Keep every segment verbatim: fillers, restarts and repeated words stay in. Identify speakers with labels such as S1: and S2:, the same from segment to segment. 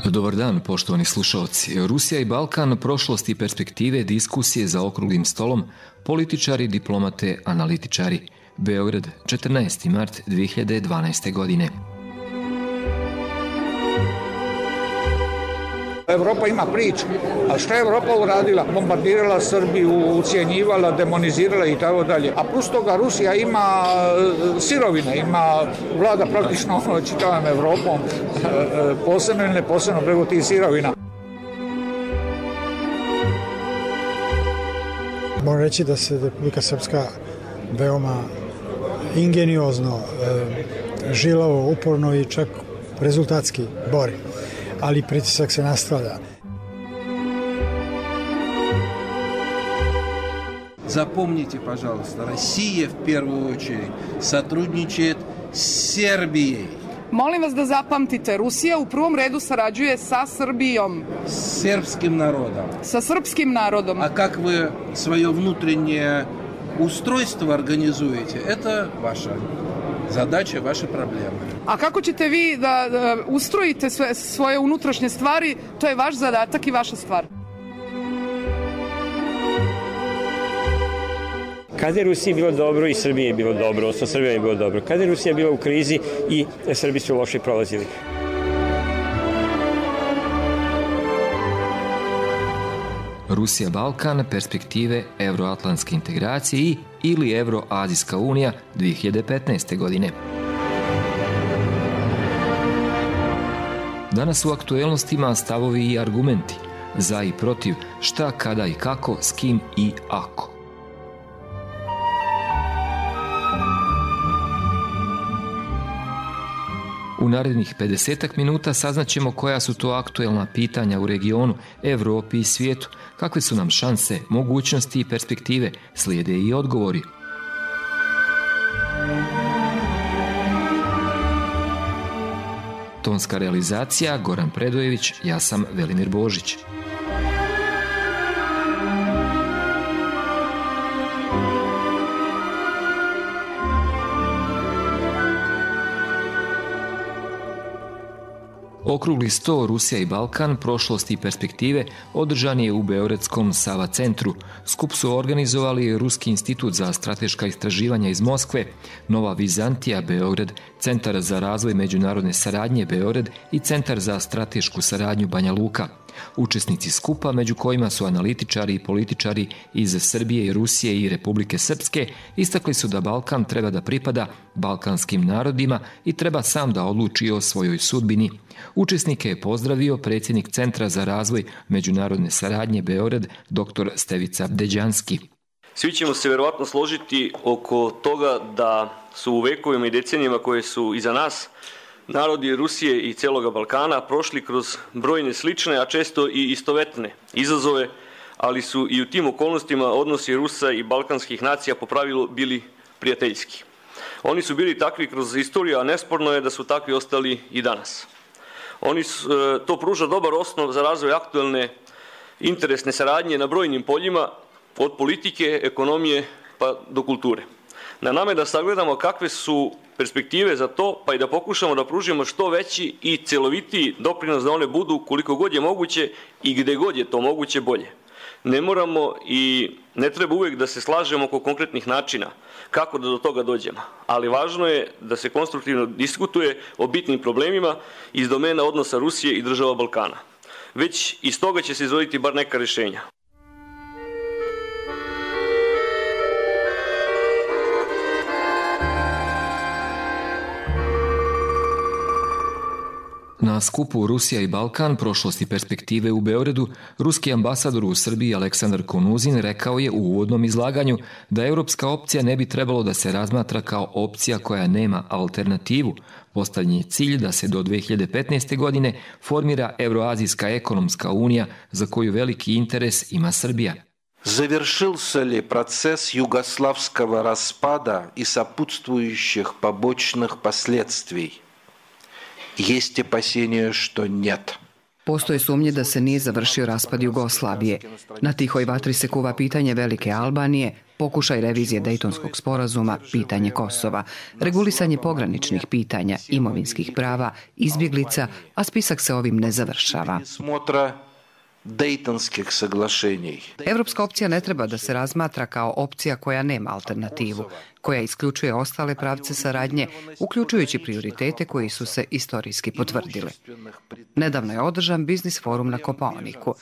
S1: Dobar dan, poštovani slušalci. Rusija i Balkan, prošlost i perspektive, diskusije za okruglim stolom, političari, diplomate, analitičari. Beograd, četrnaesti mart dve hiljade dvanaeste. godine.
S2: Evropa ima priču, a šta je Evropa uradila? Bombardirala Srbiju, ucijenjivala, demonizirala i tako dalje. A plus toga Rusija ima sirovine, ima vlada praktično čitavom Evropom, posebno ili neposebno preko tih sirovina.
S3: Moram reći da se Republika Srpska veoma ingeniozno, žilavo, uporno i čak rezultatski bori. Ali pritisak se nastavlja.
S4: Запомните, пожалуйста, Россия в первую очередь сотрудничает с Сербией.
S5: Molim vas da zapamtite, Rusija u prvom redu sarađuje sa Srbijom.
S4: С сербским народом.
S5: Sa srpskim narodom.
S4: А как вы свое внутреннее устройство организуете, это ваша задача, vaše probleme.
S5: A kako ćete vi da, da ustrojite sve, svoje unutrašnje stvari, to je vaš zadatak i vaša stvar.
S6: Kada je Rusiji bilo dobro i Srbiji je bilo dobro, odnosno Srbija je bilo dobro. Kada je Rusija bila u krizi i Srbi su loše prolazili.
S1: Rusija, Balkan, perspektive evroatlantske integracije i ili Evroazijska unija dve hiljade petnaeste. godine. Danas u aktuelnostima stavovi i argumenti, za i protiv, šta, kada i kako, s kim i ako. U narednih pedesetak minuta saznaćemo koja su to aktuelna pitanja u regionu, Evropi i svijetu, kakve su nam šanse, mogućnosti i perspektive, slijede i odgovori. Tonska realizacija Goran Predojević, ja sam Velimir Božić. Okrugli sto Rusija i Balkan, prošlost i perspektive održan je u beogradskom Sava centru. Skup su organizovali Ruski institut za strateška istraživanja iz Moskve, Nova Vizantija Beograd, Centar za razvoj međunarodne saradnje Beograd i Centar za stratešku saradnju Banja Luka. Učesnici skupa, među kojima su analitičari i političari iz Srbije i Rusije i Republike Srpske, istakli su da Balkan treba da pripada balkanskim narodima i treba sam da odluči o svojoj sudbini. Učesnike je pozdravio predsjednik Centra za razvoj međunarodne saradnje Beograd, dr. Stevica Bdeđanski.
S7: Svi ćemo se verovatno složiti oko toga da su u vekovima i decenijama koje su iza nas narodi Rusije i celoga Balkana prošli kroz brojne slične, a često i istovetne izazove, ali su i u tim okolnostima odnosi Rusa i balkanskih nacija po pravilu bili prijateljski. Oni su bili takvi kroz istoriju, a nesporno je da su takvi ostali i danas. Oni su, to pruža dobar osnov za razvoj aktuelne interesne saradnje na brojnim poljima, od politike, ekonomije pa do kulture. Na nama je da sagledamo kakve su perspektive za to, pa i da pokušamo da pružimo što veći i celovitiji doprinos da one budu koliko god je moguće i gde god je to moguće bolje. Ne moramo i ne treba uvijek da se slažemo oko konkretnih načina kako da do toga dođemo, ali važno je da se konstruktivno diskutuje o bitnim problemima iz domena odnosa Rusije i država Balkana. Već iz toga će se izvoditi bar neka rješenja.
S1: Na skupu Rusija i Balkan, prošlost i perspektive u Beogradu, ruski ambasador u Srbiji Aleksandar Konuzin rekao je u uvodnom izlaganju da europska opcija ne bi trebalo da se razmatra kao opcija koja nema alternativu. Postavljen je cilj da se do dve hiljade petnaeste. godine formira Evroazijska ekonomska unija za koju veliki interes ima Srbija.
S8: Завершился ли процесс югославского распада и сопутствующих побочных последствий? Есть опасения, что нет.
S9: Postoje sumnje da se nije završio raspad Jugoslavije. Na tihoj vatri se kuva pitanje Velike Albanije, pokušaj revizije Dejtonskog sporazuma, pitanje Kosova, regulisanje pograničnih pitanja, imovinskih prava, izbjeglica, a spisak se ovim ne završava.
S8: Dejtonskih saglašenja.
S9: Evropska opcija ne treba da se razmatra kao opcija koja nema alternativu, koja isključuje ostale pravce saradnje, uključujući prioritete koji su se istorijski potvrdili. Nedavno je održan biznis forum na Kopaoniku.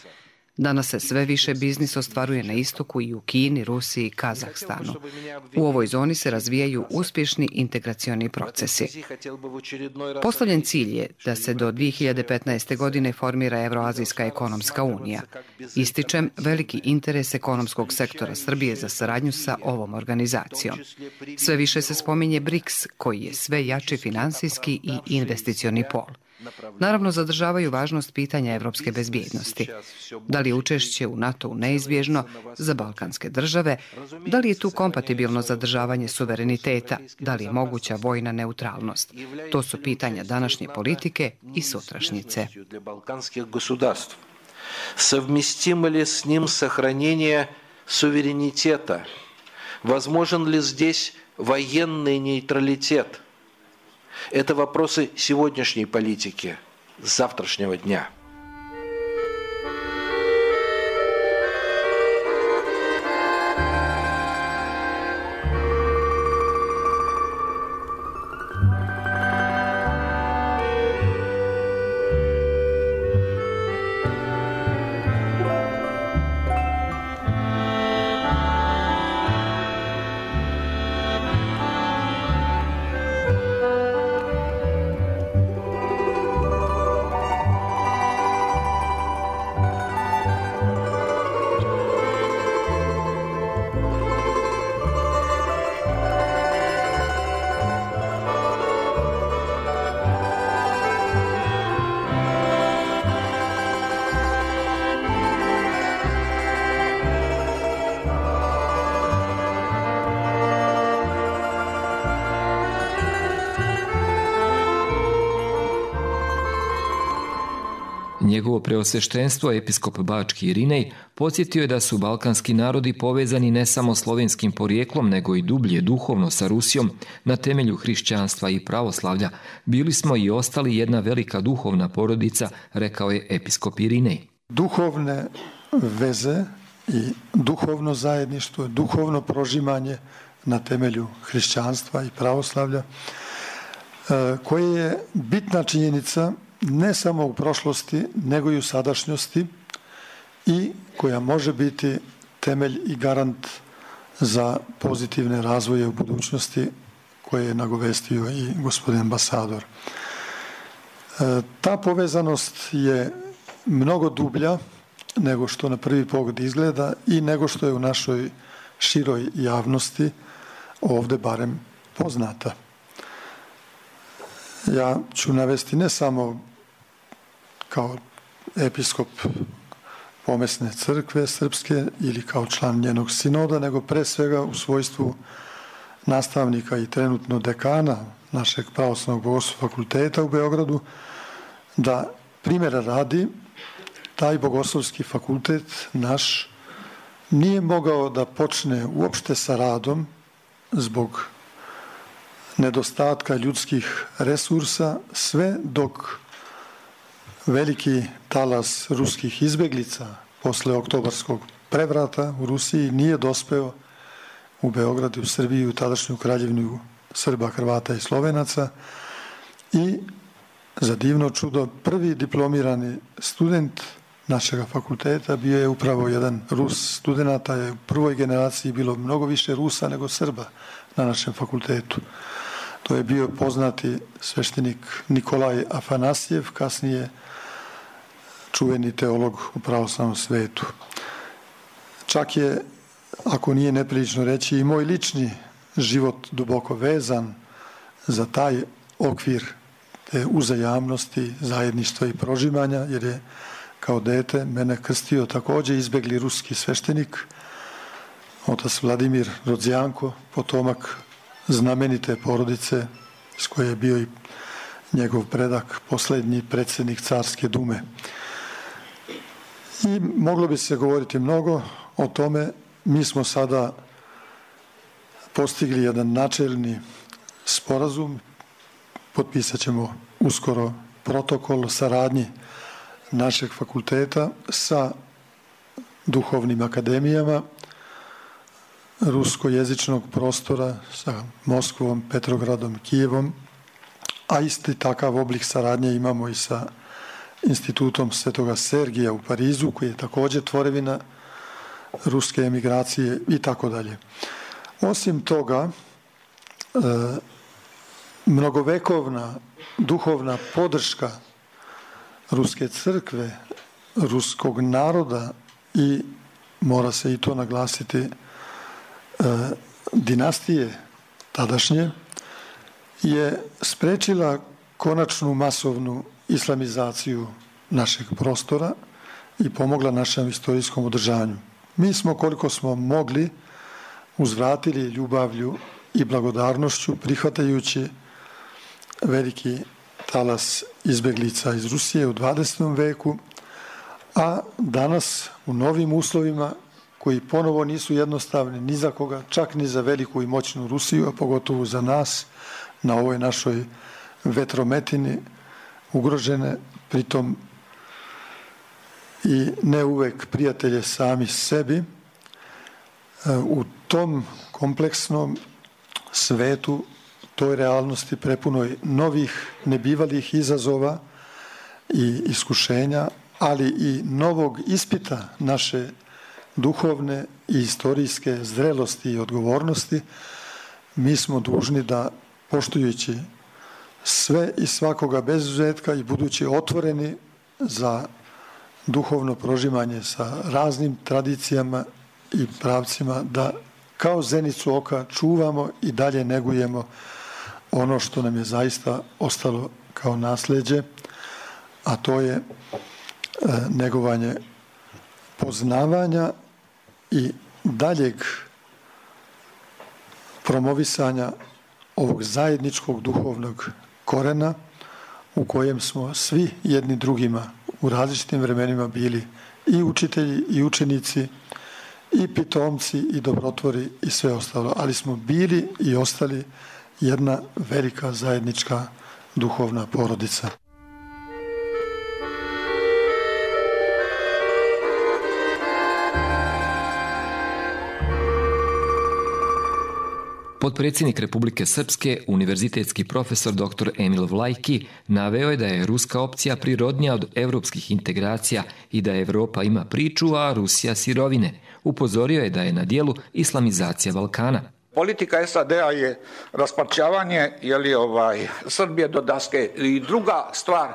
S9: Danas se sve više biznis ostvaruje na istoku i u Kini, Rusiji i Kazahstanu. U ovoj zoni se razvijaju uspješni integracioni procesi. Postavljen cilj je da se do dvije hiljade petnaeste. godine formira Evroazijska ekonomska unija. Ističem veliki interes ekonomskog sektora Srbije za saradnju sa ovom organizacijom. Sve više se spominje BRICS, koji je sve jači finansijski i investicioni pol. Naravno, zadržavaju važnost pitanja evropske bezbjednosti. Da li je učešće u NATO-u neizbježno za balkanske države? Da li je tu kompatibilno zadržavanje suvereniteta? Da li je moguća vojna neutralnost? To su pitanja današnje politike i sutrašnjice.
S8: Совместимо ли с ним сохранение суверенитета? Возможен ли здесь военный нейтралитет? Это вопросы сегодняшней политики, завтрашнего дня.
S1: Njegovo preosveštenstvo, episkop Bački Irinej, podsjetio je da su balkanski narodi povezani ne samo slovenskim porijeklom, nego i dublje duhovno sa Rusijom na temelju hrišćanstva i pravoslavlja. Bili smo i ostali jedna velika duhovna porodica, rekao je episkop Irinej.
S10: Duhovne veze i duhovno zajedništvo, duhovno prožimanje na temelju hrišćanstva i pravoslavlja, koje je bitna činjenica ne samo u prošlosti, nego i u sadašnjosti i koja može biti temelj i garant za pozitivne razvoje u budućnosti koje je nagovestio i gospodin ambasador. Ta povezanost je mnogo dublja nego što na prvi pogled izgleda i nego što je u našoj široj javnosti ovde barem poznata. Ja ću navesti ne samo kao episkop Pomesne crkve srpske ili kao član njenog sinoda, nego pre svega u svojstvu nastavnika i trenutno dekana našeg pravoslavnog bogoslovskog fakulteta u Beogradu, da primjera radi, taj bogoslovski fakultet naš nije mogao da počne uopšte sa radom zbog nedostatka ljudskih resursa, sve dok veliki talas ruskih izbeglica posle oktobarskog prevrata u Rusiji nije dospeo u Beograd, u Srbiju, u tadašnju kraljevinu Srba, Hrvata i Slovenaca i za divno čudo prvi diplomirani student našeg fakulteta bio je upravo jedan Rus. Studenata je u prvoj generaciji bilo mnogo više Rusa nego Srba na našem fakultetu. To je bio poznati sveštenik Nikolaj Afanasjev, kasnije čuveni teolog u pravoslavnom svetu. Čak je, ako nije neprilično reći, i moj lični život duboko vezan za taj okvir te uzajamnosti, zajedništva i prožimanja, jer je kao dete mene krstio također izbegli ruski sveštenik, otac Vladimir Rodzijanko, potomak znamenite porodice s koje je bio i njegov predak, posljednji predsjednik Carske dume. I moglo bi se govoriti mnogo o tome. Mi smo sada postigli jedan načelni sporazum, potpisat ćemo uskoro protokol o saradnji našeg fakulteta sa duhovnim akademijama ruskojezičnog prostora, sa Moskvom, Petrogradom, Kijevom, a isti takav oblik saradnje imamo i sa institutom Svetoga Sergija u Parizu, koji je također tvorevina ruske emigracije i tako dalje. Osim toga, e, mnogovekovna duhovna podrška ruske crkve, ruskog naroda i, mora se i to naglasiti, e, dinastije tadašnje, je sprečila konačnu masovnu islamizaciju našeg prostora i pomogla našem istorijskom održanju. Mi smo, koliko smo mogli, uzvratili ljubavlju i blagodarnošću, prihvatajući veliki talas izbeglica iz Rusije u dvadesetom veku, a danas u novim uslovima koji ponovo nisu jednostavni ni za koga, čak ni za veliku i moćnu Rusiju, a pogotovo za nas na ovoj našoj vetrometini ugrožene, pritom i ne uvek prijatelje sami sebi. U tom kompleksnom svetu, toj realnosti prepunoj novih nebivalih izazova i iskušenja, ali i novog ispita naše duhovne i istorijske zrelosti i odgovornosti, mi smo dužni da, poštujući sve i svakoga bez izuzetka i budući otvoreni za duhovno prožimanje sa raznim tradicijama i pravcima, da kao zenicu oka čuvamo i dalje negujemo ono što nam je zaista ostalo kao nasleđe, a to je e, negovanje poznavanja i daljeg promovisanja ovog zajedničkog duhovnog korena u kojem smo svi jedni drugima u različitim vremenima bili i učitelji i učenici i pitomci i dobrotvori i sve ostalo, ali smo bili i ostali jedna velika zajednička duhovna porodica.
S1: Potpredsjednik Republike Srpske, univerzitetski profesor doktor Emil Vlajki, naveo je da je ruska opcija prirodnija od evropskih integracija i da Evropa ima priču, a Rusija sirovine. Upozorio je da je na dijelu islamizacija Balkana.
S2: Politika es a de a je rasparčavanje jeli, ovaj, Srbije do daske. I druga stvar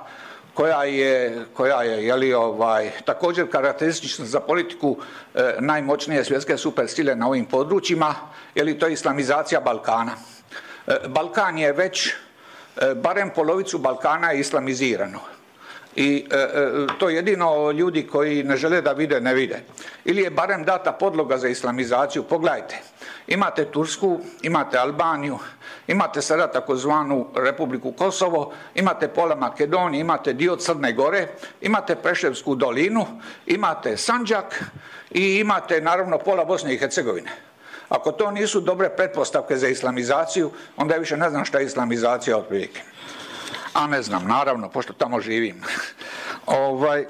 S2: koja je, koja je jeli, ovaj, također karakteristična za politiku e, najmoćnije svjetske supersile na ovim područjima, jeli, to je islamizacija Balkana. E, Balkan je već, e, barem polovicu Balkana je islamizirano. I e, e, to jedino ljudi koji ne žele da vide, ne vide. Ili je barem data podloga za islamizaciju. Pogledajte, imate Tursku, imate Albaniju, imate sada takozvanu Republiku Kosovo, imate pola Makedonije, imate dio Crne Gore, imate Preševsku dolinu, imate Sandžak i imate naravno pola Bosne i Hercegovine. Ako to nisu dobre pretpostavke za islamizaciju, onda ja više ne znam šta je islamizacija otprilike. A ne znam, naravno, pošto tamo živim. ovaj, e,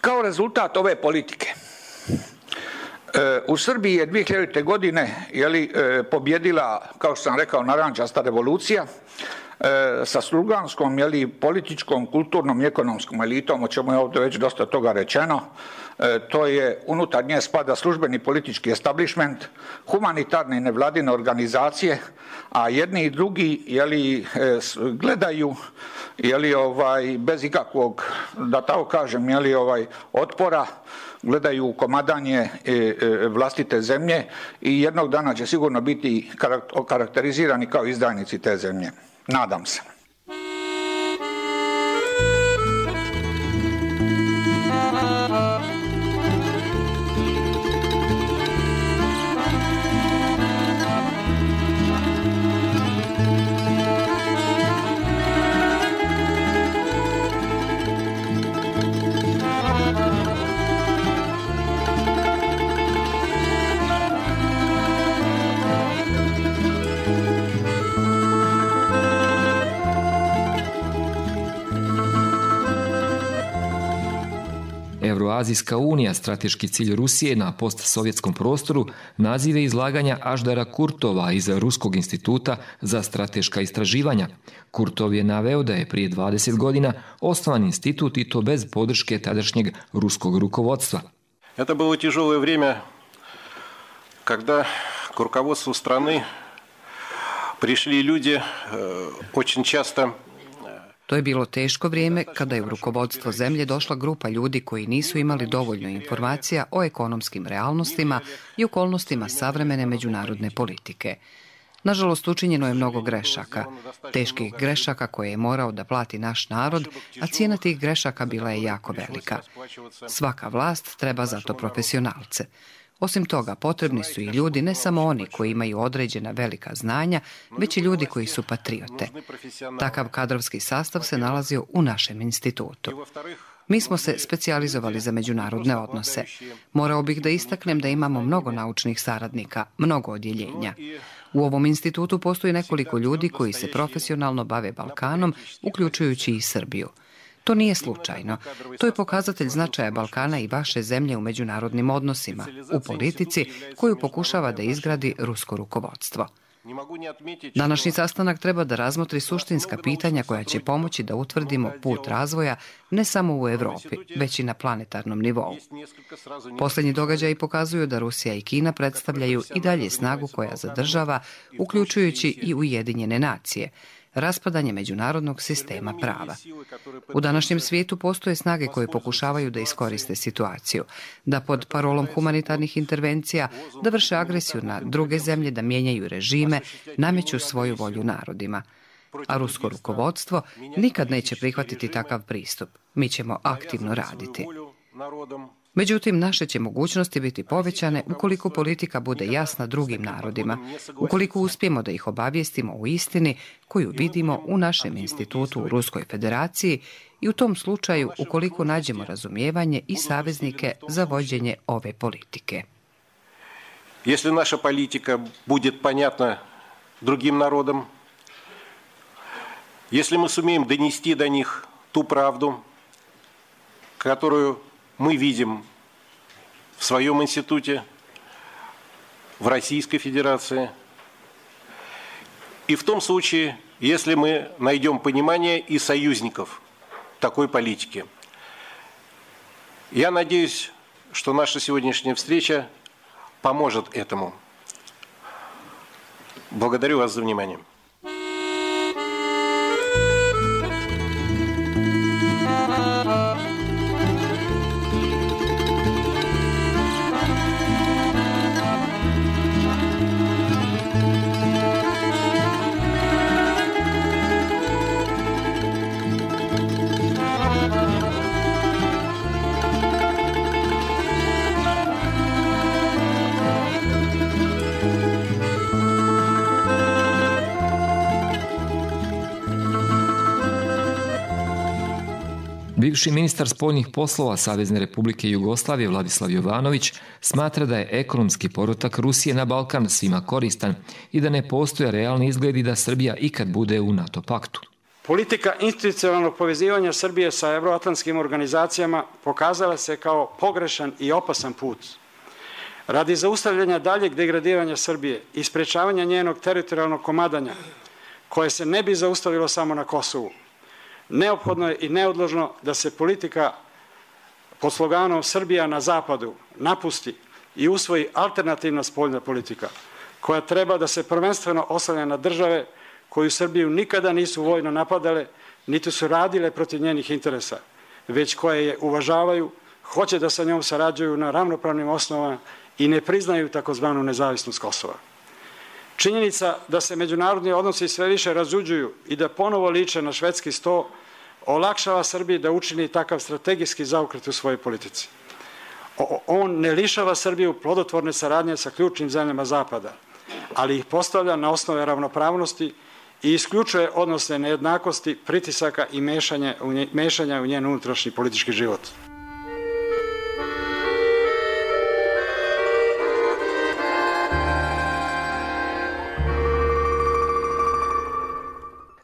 S2: kao rezultat ove politike, e, u Srbiji je dvije hiljadite. godine jeli, e, pobjedila, kao što sam rekao, narančasta revolucija e, sa sluganskom, jeli, političkom, kulturnom i ekonomskom elitom, o čemu je ovdje već dosta toga rečeno. E, to je unutar nje spada službeni politički establishment, humanitarne i nevladine organizacije, a jedni i drugi jeli, e, gledaju jeli, ovaj, bez ikakvog, da tako kažem, jeli, ovaj, otpora, gledaju komadanje e, e, vlastite zemlje i jednog dana će sigurno biti okarakterizirani kao izdajnici te zemlje. Nadam se.
S1: Evroazijska unija strateški cilj Rusije na postsovjetskom prostoru, nazive izlaganja Aždara Kurtova iz Ruskog instituta za strateška istraživanja. Kurtov je naveo da je prije dvadeset godina osnovan institut i to bez podrške tadašnjeg ruskog rukovodstva.
S11: Это было тяжелое время, когда к руководству страны пришли люди очень часто.
S9: To je bilo teško vrijeme kada je u rukovodstvo zemlje došla grupa ljudi koji nisu imali dovoljno informacija o ekonomskim realnostima i okolnostima savremene međunarodne politike. Nažalost, učinjeno je mnogo grešaka, teških grešaka koje je morao da plati naš narod, a cijena tih grešaka bila je jako velika. Svaka vlast treba zato profesionalce. Osim toga, potrebni su i ljudi, ne samo oni koji imaju određena velika znanja, već i ljudi koji su patriote. Takav kadrovski sastav se nalazio u našem institutu. Mi smo se specijalizovali za međunarodne odnose. Morao bih da istaknem da imamo mnogo naučnih saradnika, mnogo odjeljenja. U ovom institutu postoji nekoliko ljudi koji se profesionalno bave Balkanom, uključujući i Srbiju. To nije slučajno. To je pokazatelj značaja Balkana i vaše zemlje u međunarodnim odnosima, u politici koju pokušava da izgradi rusko rukovodstvo. Današnji sastanak treba da razmotri suštinska pitanja koja će pomoći da utvrdimo put razvoja ne samo u Evropi, već i na planetarnom nivou. Posljednji događaji pokazuju da Rusija i Kina predstavljaju i dalje snagu koja zadržava, uključujući i Ujedinjene nacije, raspadanje međunarodnog sistema prava. U današnjem svijetu postoje snage koje pokušavaju da iskoriste situaciju, da pod parolom humanitarnih intervencija, da vrše agresiju na druge zemlje, da mijenjaju režime, nameću svoju volju narodima. A rusko rukovodstvo nikad neće prihvatiti takav pristup. Mi ćemo aktivno raditi. Međutim, naše će mogućnosti biti povećane ukoliko politika bude jasna drugim narodima, ukoliko uspijemo da ih obavijestimo o istini koju vidimo u našem institutu u Ruskoj federaciji i u tom slučaju ukoliko nađemo razumijevanje i saveznike za vođenje ove politike.
S11: Если наша политика будет понятна другим народам, если мы сумеем донести до них ту правду, которую мы видим в своем институте, в Российской Федерации. И в том случае, если мы найдем понимание и союзников такой политики. Я надеюсь, что наша сегодняшняя встреча поможет этому. Благодарю вас за внимание.
S1: Bivši ministar spoljnih poslova Savezne Republike Jugoslavije Vladislav Jovanović smatra da je ekonomski povratak Rusije na Balkan svima koristan i da ne postoje realni izgledi da Srbija ikad bude u NATO paktu.
S12: Politika institucionalnog povezivanja Srbije sa evroatlantskim organizacijama pokazala se kao pogrešan i opasan put. Radi zaustavljanja daljeg degradiranja Srbije i sprečavanja njenog teritorijalnog komadanja, koje se ne bi zaustavilo samo na Kosovu, neophodno je i neodložno da se politika pod sloganom Srbija na zapadu napusti i usvoji alternativna spoljna politika, koja treba da se prvenstveno oslanja na države koju Srbiju nikada nisu vojno napadale, niti su radile protiv njenih interesa, već koje je uvažavaju, hoće da sa njom sarađuju na ravnopravnim osnovama i ne priznaju takozvanu nezavisnost Kosova. Činjenica da se međunarodni odnosi sve više razuđuju i da ponovo liče na švedski sto olakšava Srbiji da učini takav strategijski zaokret u svojoj politici. On ne lišava Srbiju plodotvorne saradnje sa ključnim zemljama Zapada, ali ih postavlja na osnove ravnopravnosti i isključuje odnosne nejednakosti, pritisaka i mešanja u njen unutrašnji politički život.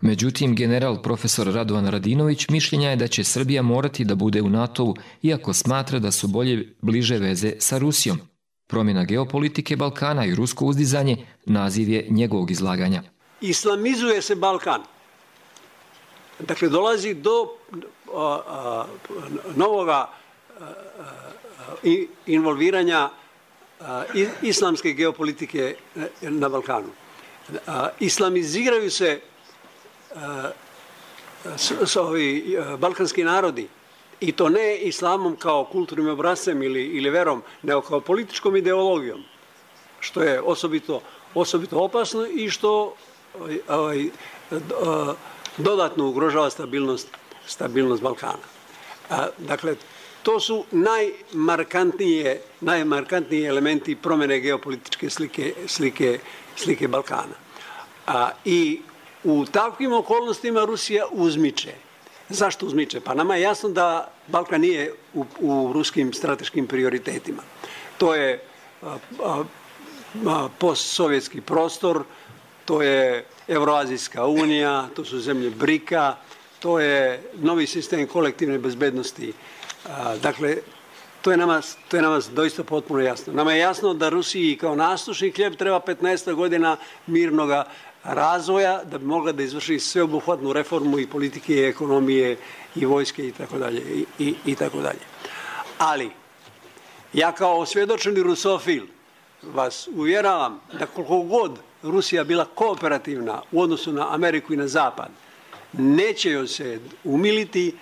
S1: Međutim, general profesor Radovan Radinović mišljenja je da će Srbija morati da bude u NATO-u, iako smatra da su bolje bliže veze sa Rusijom. Promjena geopolitike Balkana i rusko uzdizanje naziv je njegovog izlaganja.
S13: Islamizuje se Balkan. Dakle, dolazi do a, a, novoga a, a, involviranja a, islamske geopolitike na Balkanu. A, islamiziraju se a, s, s, ovi a, balkanski narodi, i to ne islamom kao kulturnim obrazcem ili, ili verom, nego kao političkom ideologijom, što je osobito, osobito opasno i što ovaj, dodatno ugrožava stabilnost, stabilnost Balkana. A, dakle, to su najmarkantnije, najmarkantniji elementi promjene geopolitičke slike, slike, slike Balkana. A, I u takvim okolnostima Rusija uzmiče. Zašto uzmiče? Pa nama je jasno da Balkan nije u, u ruskim strateškim prioritetima. To je a, a, a, postsovjetski prostor, to je Evroazijska unija, to su zemlje brika, to je novi sistem kolektivne bezbednosti. A, dakle, to je, nama, to je nama doista potpuno jasno. Nama je jasno da Rusiji kao nastušni hljeb treba petnaest godina mirnoga razvoja da bi mogla da izvrši sveobuhvatnu reformu i politike, i ekonomije, i vojske i tako dalje i i tako dalje. Ali ja kao osvjedočeni rusofil vas uvjeravam da koliko god Rusija bila kooperativna u odnosu na Ameriku i na Zapad, neće joj se umiliti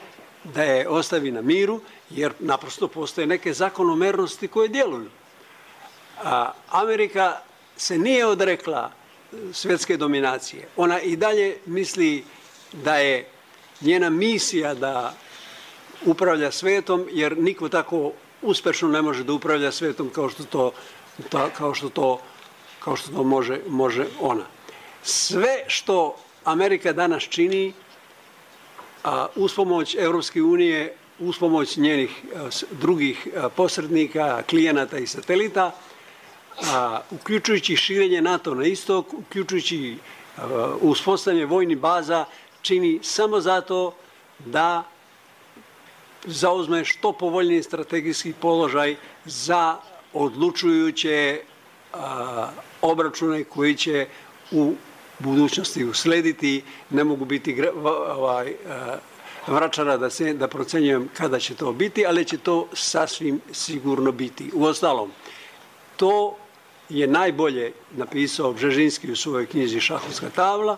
S13: da je ostavi na miru, jer naprosto postoje neke zakonomernosti koje djeluju. A Amerika se nije odrekla svjetske dominacije. Ona i dalje misli da je njena misija da upravlja svetom, jer niko tako uspešno ne može da upravlja svetom kao što to, kao što to, kao što to može, može ona. Sve što Amerika danas čini, a, uz pomoć Evropske unije, uz pomoć njenih a, drugih a, posrednika, klijenata i satelita, a, uključujući širenje NATO na istok, uključujući a, uspostavljanje vojnih baza, čini samo zato da zauzme što povoljniji strategijski položaj za odlučujuće a, obračune koji će u budućnosti uslediti. Ne mogu biti ovaj, vračara da, se, da procenjujem kada će to biti, ali će to sasvim sigurno biti. Uostalom, to je najbolje napisao Bžežinski u svojoj knjizi Šahovska tabla,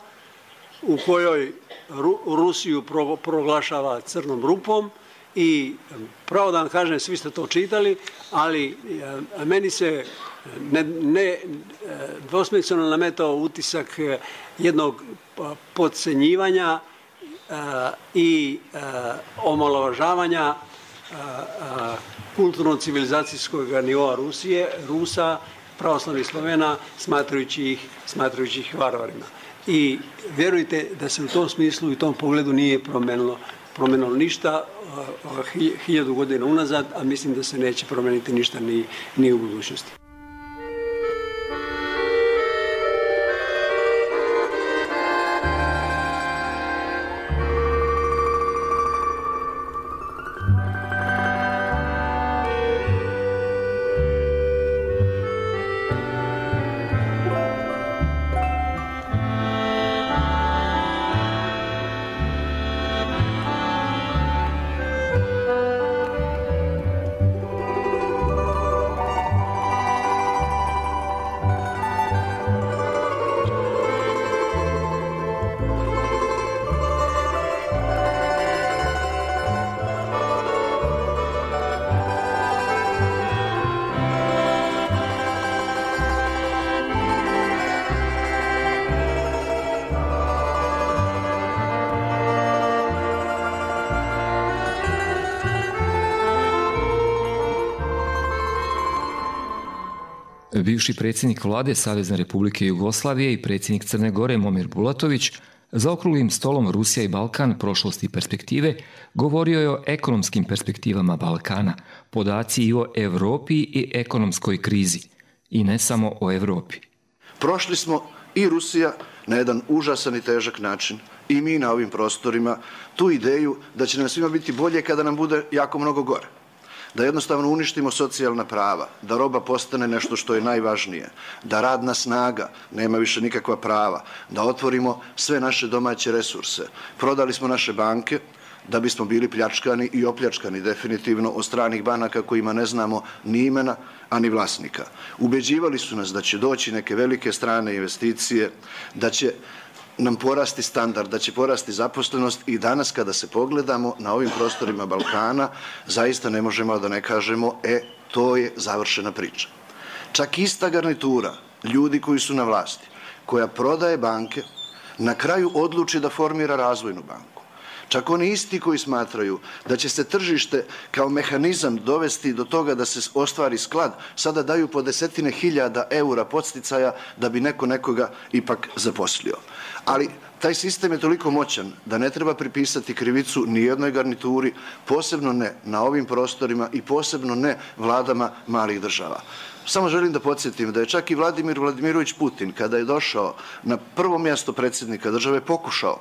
S13: u kojoj Ru, Rusiju pro, proglašava crnom rupom i pravo da vam kažem, svi ste to čitali, ali a, meni se ne, ne dvosmisleno nametao utisak jednog podcenjivanja a, i a, omalovažavanja a, a, kulturno-civilizacijskog nivoa Rusije, Rusa, pravoslavnih Slovena, smatrajući ih, smatrajući ih varvarima. I vjerujte da se u tom smislu i u tom pogledu nije promenilo, promenilo ništa hiljadu godina unazad, a mislim da se neće promeniti ništa ni, ni u budućnosti.
S1: Bivši predsjednik vlade Savezne Republike Jugoslavije i predsjednik Crne Gore Momir Bulatović za okruglim stolom Rusija i Balkan, prošlosti i perspektive, govorio je o ekonomskim perspektivama Balkana, podaci i o Evropi i ekonomskoj krizi. I ne samo o Evropi.
S14: Prošli smo i Rusija na jedan užasan i težak način i mi na ovim prostorima tu ideju da će nam svima biti bolje kada nam bude jako mnogo gore. Da jednostavno uništimo socijalna prava, da roba postane nešto što je najvažnije, da radna snaga nema više nikakva prava, da otvorimo sve naše domaće resurse. Prodali smo naše banke da bismo bili pljačkani i opljačkani definitivno od stranih banaka kojima ne znamo ni imena, a ni vlasnika. Ubeđivali su nas da će doći neke velike strane investicije, da će nam porasti standard, da će porasti zaposlenost i danas kada se pogledamo na ovim prostorima Balkana, zaista ne možemo da ne kažemo, e, to je završena priča. Čak ista garnitura, ljudi koji su na vlasti, koja prodaje banke, na kraju odluči da formira razvojnu banku. Čak oni isti koji smatraju da će se tržište kao mehanizam dovesti do toga da se ostvari sklad, sada daju po desetine hiljada eura podsticaja da bi neko nekoga ipak zaposlio. Ali taj sistem je toliko moćan da ne treba pripisati krivicu ni jednoj garnituri, posebno ne na ovim prostorima i posebno ne vladama malih država. Samo želim da podsjetim da je čak i Vladimir Vladimirović Putin, kada je došao na prvo mjesto predsjednika države, pokušao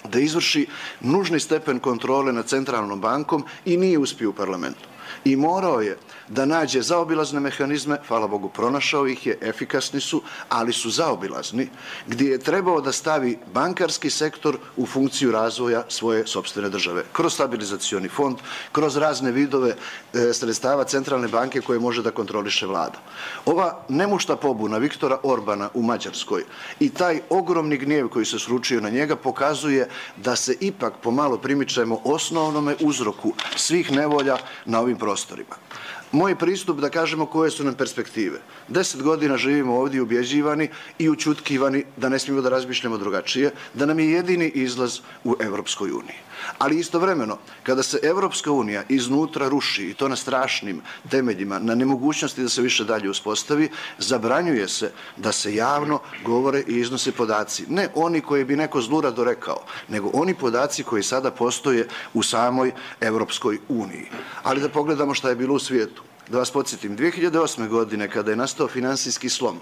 S14: da izvrši nužni stepen kontrole nad centralnom bankom i nije uspio u parlamentu. I morao je da nađe zaobilazne mehanizme, hvala Bogu pronašao ih je, efikasni su, ali su zaobilazni, gdje je trebao da stavi bankarski sektor u funkciju razvoja svoje sopstvene države. Kroz stabilizacioni fond, kroz razne vidove e, sredstava centralne banke koje može da kontroliše vlada. Ova nemušta pobuna Viktora Orbana u Mađarskoj i taj ogromni gnjev koji se sručio na njega pokazuje da se ipak pomalo primičemo osnovnome uzroku svih nevolja na ovim prostorima. Moj pristup da kažemo koje su nam perspektive. Deset godina živimo ovdje ubjeđivani i učutkivani da ne smijemo da razmišljamo drugačije, da nam je jedini izlaz u Evropskoj uniji. Ali istovremeno, kada se Evropska unija iznutra ruši, i to na strašnim temeljima, na nemogućnosti da se više dalje uspostavi, zabranjuje se da se javno govore i iznose podaci. Ne oni koji bi neko zlurado rekao, nego oni podaci koji sada postoje u samoj Evropskoj uniji. Ali da pogledamo šta je bilo u svijetu. Da vas podsjetim, dvije hiljade osme. godine kada je nastao finansijski slom,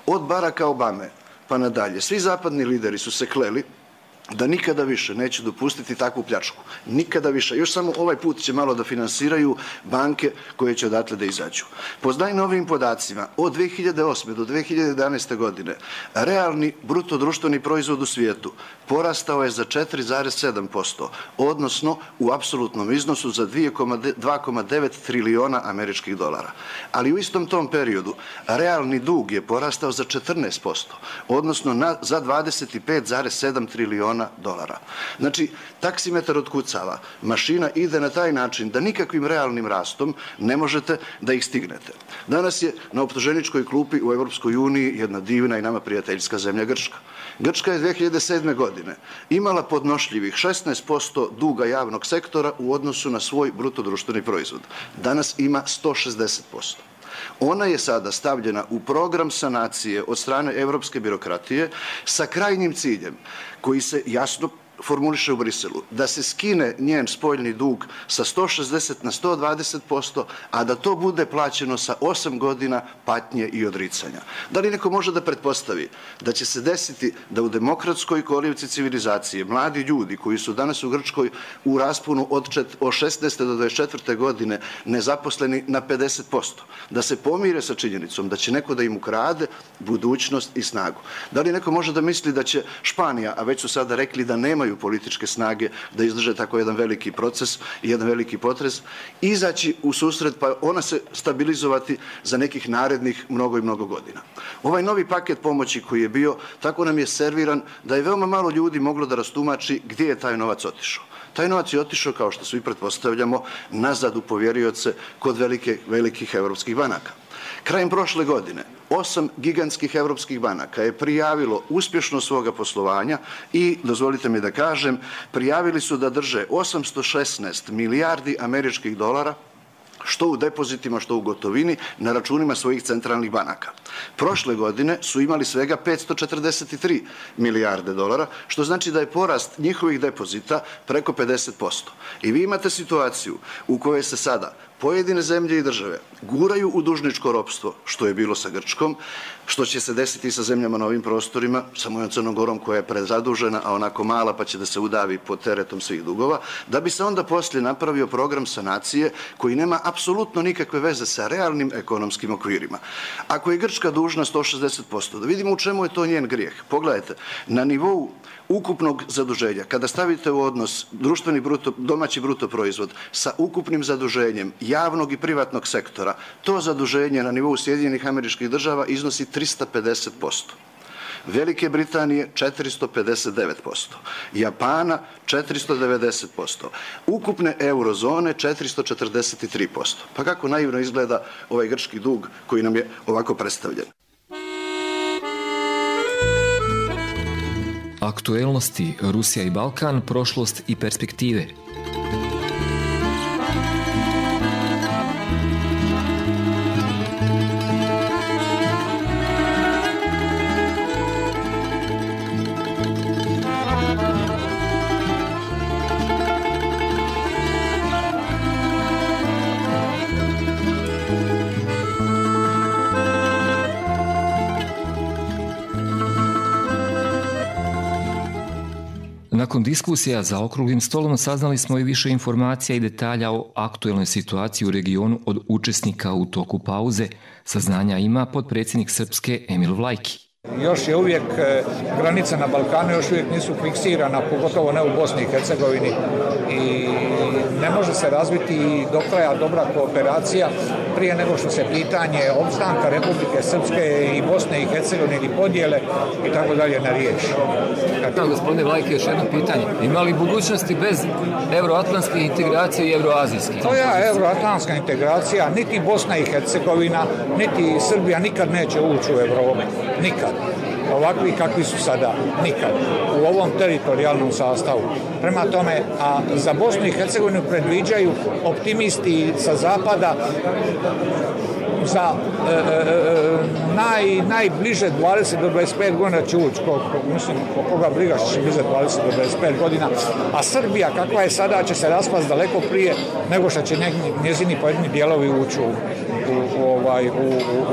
S14: od Baracka Obame pa nadalje, svi zapadni lideri su se kleli da nikada više neće dopustiti takvu pljačku. Nikada više. Još samo ovaj put će malo da finansiraju banke koje će odatle da izađu. Po najnovijim podacima, od dvije hiljade osme. do dvije hiljade jedanaeste. godine, realni bruto društveni proizvod u svijetu porastao je za četiri zarez sedam posto, odnosno u apsolutnom iznosu za dva zarez devet triliona američkih dolara. Ali u istom tom periodu realni dug je porastao za četrnaest posto, odnosno na, za dvadeset pet zarez sedam triliona dolara. Znači, taksimetar otkucava, mašina ide na taj način da nikakvim realnim rastom ne možete da ih stignete. Danas je na optuženičkoj klupi u Evropskoj uniji jedna divna i nama prijateljska zemlja Grčka. Grčka je dvije hiljade sedme. godine imala podnošljivih šesnaest posto duga javnog sektora u odnosu na svoj bruto društveni proizvod. Danas ima sto šezdeset posto. Ona je sada stavljena u program sanacije od strane evropske birokratije sa krajnjim ciljem koji se jasno formuliše u Briselu, da se skine njen spoljni dug sa sto šezdeset na sto dvadeset posto, a da to bude plaćeno sa osam godina patnje i odricanja. Da li neko može da pretpostavi da će se desiti da u demokratskoj kolivci civilizacije mladi ljudi koji su danas u Grčkoj u rasponu od šesnaeste do dvadeset četvrte. godine nezaposleni na pedeset posto, da se pomire sa činjenicom da će neko da im ukrade budućnost i snagu? Da li neko može da misli da će Španija, a već su sada rekli da nemaju političke snage da izdrže tako jedan veliki proces i jedan veliki potres, izaći u susret pa ona se stabilizovati za nekih narednih mnogo i mnogo godina. Ovaj novi paket pomoći koji je bio, tako nam je serviran da je veoma malo ljudi moglo da rastumači gdje je taj novac otišao. Taj novac je otišao, kao što svi pretpostavljamo, nazad u povjerioce kod velike, velikih evropskih banaka. Krajem prošle godine osam gigantskih evropskih banaka je prijavilo uspješnost svoga poslovanja i, dozvolite mi da kažem, prijavili su da drže osamsto šesnaest milijardi američkih dolara, što u depozitima, što u gotovini, na računima svojih centralnih banaka. Prošle godine su imali svega petsto četrdeset tri milijarde dolara, što znači da je porast njihovih depozita preko pedeset posto. I vi imate situaciju u kojoj se sada pojedine zemlje i države guraju u dužničko ropstvo, što je bilo sa Grčkom, što će se desiti sa zemljama na ovim prostorima, sa mojom Crnom Gorom koja je prezadužena, a onako mala pa će da se udavi pod teretom svih dugova, da bi se onda poslije napravio program sanacije koji nema apsolutno nikakve veze sa realnim ekonomskim okvirima. Ako je Grčka dužna sto šezdeset posto, da vidimo u čemu je to njen grijeh. Pogledajte, na nivou ukupnog zaduženja, kada stavite u odnos društveni bruto, domaći bruto proizvod sa ukupnim zaduženjem javnog i privatnog sektora, to zaduženje na nivou Sjedinjenih Američkih Država iznosi trista pedeset posto. Velike Britanije četiristo pedeset devet posto, Japana četiristo devedeset posto, ukupne eurozone četiristo četrdeset tri posto. Pa kako naivno izgleda ovaj grčki dug koji nam je ovako predstavljen.
S1: Aktuelnosti Rusija i Balkan, prošlost i perspektive. Nakon diskusija za okruglim stolom saznali smo i više informacija i detalja o aktuelnoj situaciji u regionu od učesnika u toku pauze. Saznanja ima potpredsjednik Srpske Emil Vlajki.
S2: Još je uvijek granica na Balkanu, još uvijek nisu fiksirana, pogotovo ne u Bosni i Hercegovini, i ne može se razviti do kraja dobra kooperacija prije nego što se pitanje opstanka Republike Srpske i Bosne i Hercegovine ili podjele i tako dalje ne riješi.
S1: Dakle, gospodine Vlajke, još jedno pitanje. Ima li budućnosti bez euroatlantske integracije i euroazijske?
S2: To je euroatlantska integracija, niti Bosna i Hercegovina, niti Srbija nikad neće ući u Evropu. Nikad. Ovakvi kakvi su sada. Nikad. U ovom teritorijalnom sastavu. Prema tome, a za Bosnu i Hercegovinu predviđaju optimisti sa zapada za e, e, naj, najbliže dvadeset do dvadeset pet godina će ući, ko, ko, mislim, koga briga što će biti za dvadeset do dvadeset pet godina, a Srbija kakva je sada će se raspast daleko prije nego što će njezini pojedini dijelovi ući u, u, ovaj, u,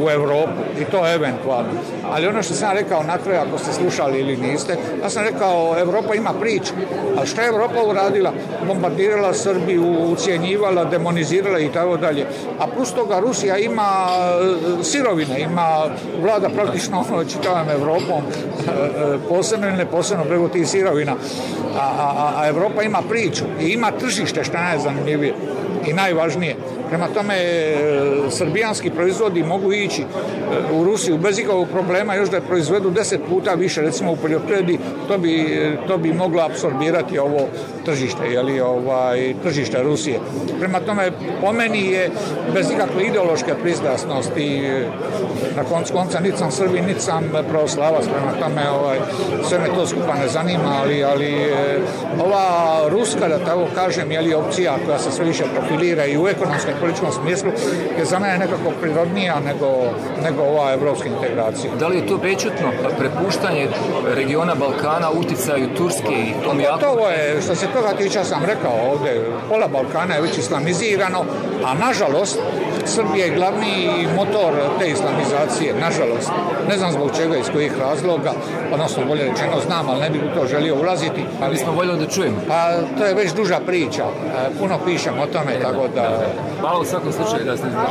S2: u Evropu, i to eventualno. Ali ono što sam rekao na kraju, ako ste slušali ili niste, ja sam rekao, Evropa ima priču, a što je Evropa uradila? Bombardirala Srbiju, ucijenjivala, demonizirala i tako dalje. A plus toga Rusija ima sirovine, ima, vlada praktično čitavom Evropom, posebno ili neposebno preko tih sirovina, a, a, a Evropa ima priču i ima tržište, što je najzanimljivije i najvažnije. Prema tome, srbijanski proizvodi mogu ići u Rusiju bez ikakvog problema, još da je proizvedu deset puta više, recimo u poljoprivredi, to bi, to bi moglo apsorbirati ovo tržište, jeli, ovaj, tržište Rusije. Prema tome, po meni je bez ikakve ideološke pristrasnosti, na koncu konca niti sam Srbin, niti sam pravoslavac, prema tome ovaj, sve me to skupa ne zanima, ali, ali ova ruska, da tako kažem, jeli, opcija koja se sve više profilira i u ekonomskom i političkom smislu je za mene nekako prirodnija nego, nego ova evropska integracija.
S1: Da li je to prečutno prepuštanje regiona Balkana uticaju Turske i tom jako?
S2: To je, što se toga tiče, sam rekao ovdje, pola Balkana je već islamizirano, a nažalost Srbija je glavni motor te islamizacije, nažalost. Ne znam zbog čega, iz kojih razloga, odnosno bolje rečeno znam, ali ne bih u to želio ulaziti.
S1: Ali smo voljeli da čujemo.
S2: Pa to je već duža priča, puno pišem o tome, tako da...
S1: Hvala u svakom slučaju da ste znaš.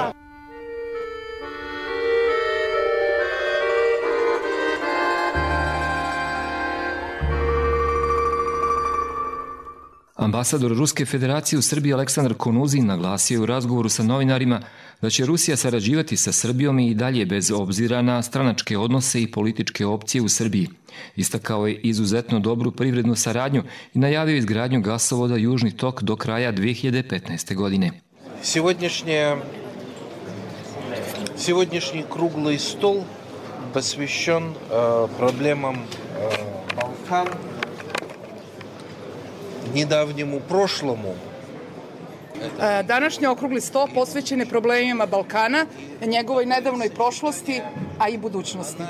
S1: Ambasador Ruske federacije u Srbiji Aleksandar Konuzin naglasio je u razgovoru sa novinarima da će Rusija sarađivati sa Srbijom i dalje bez obzira na stranačke odnose i političke opcije u Srbiji. Istakao je izuzetno dobru privrednu saradnju i najavio izgradnju gasovoda Južni tok do kraja dve hiljade petnaeste. godine.
S8: Сегодняшняя, сегодняшний круглый стол посвящен э, проблемам э, Балкан, недавнему прошлому.
S5: Današnji okrugli sto posvećen je problemima Balkana, njegovoj nedavnoj prošlosti a i budućnosti.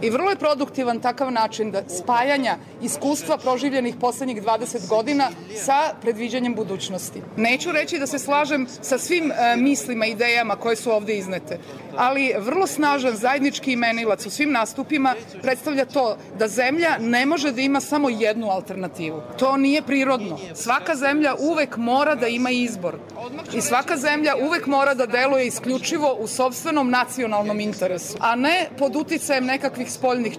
S5: I vrlo je produktivan takav način da spajanja iskustva proživljenih poslednjih dvadeset godina sa predviđanjem budućnosti. Neću reći da se slažem sa svim e, mislima i idejama koje su ovde iznete, ali vrlo snažan zajednički imenilac u svim nastupima predstavlja to da zemlja ne može da ima samo jednu alternativu. To nije prirodno. Svaka zemlja uvek mora da ima izbor i svaka zemlja uvek mora da deluje isključivo u sopstvenom nacionalnom interesu, a ne pod uticajem nekakvih spoljnih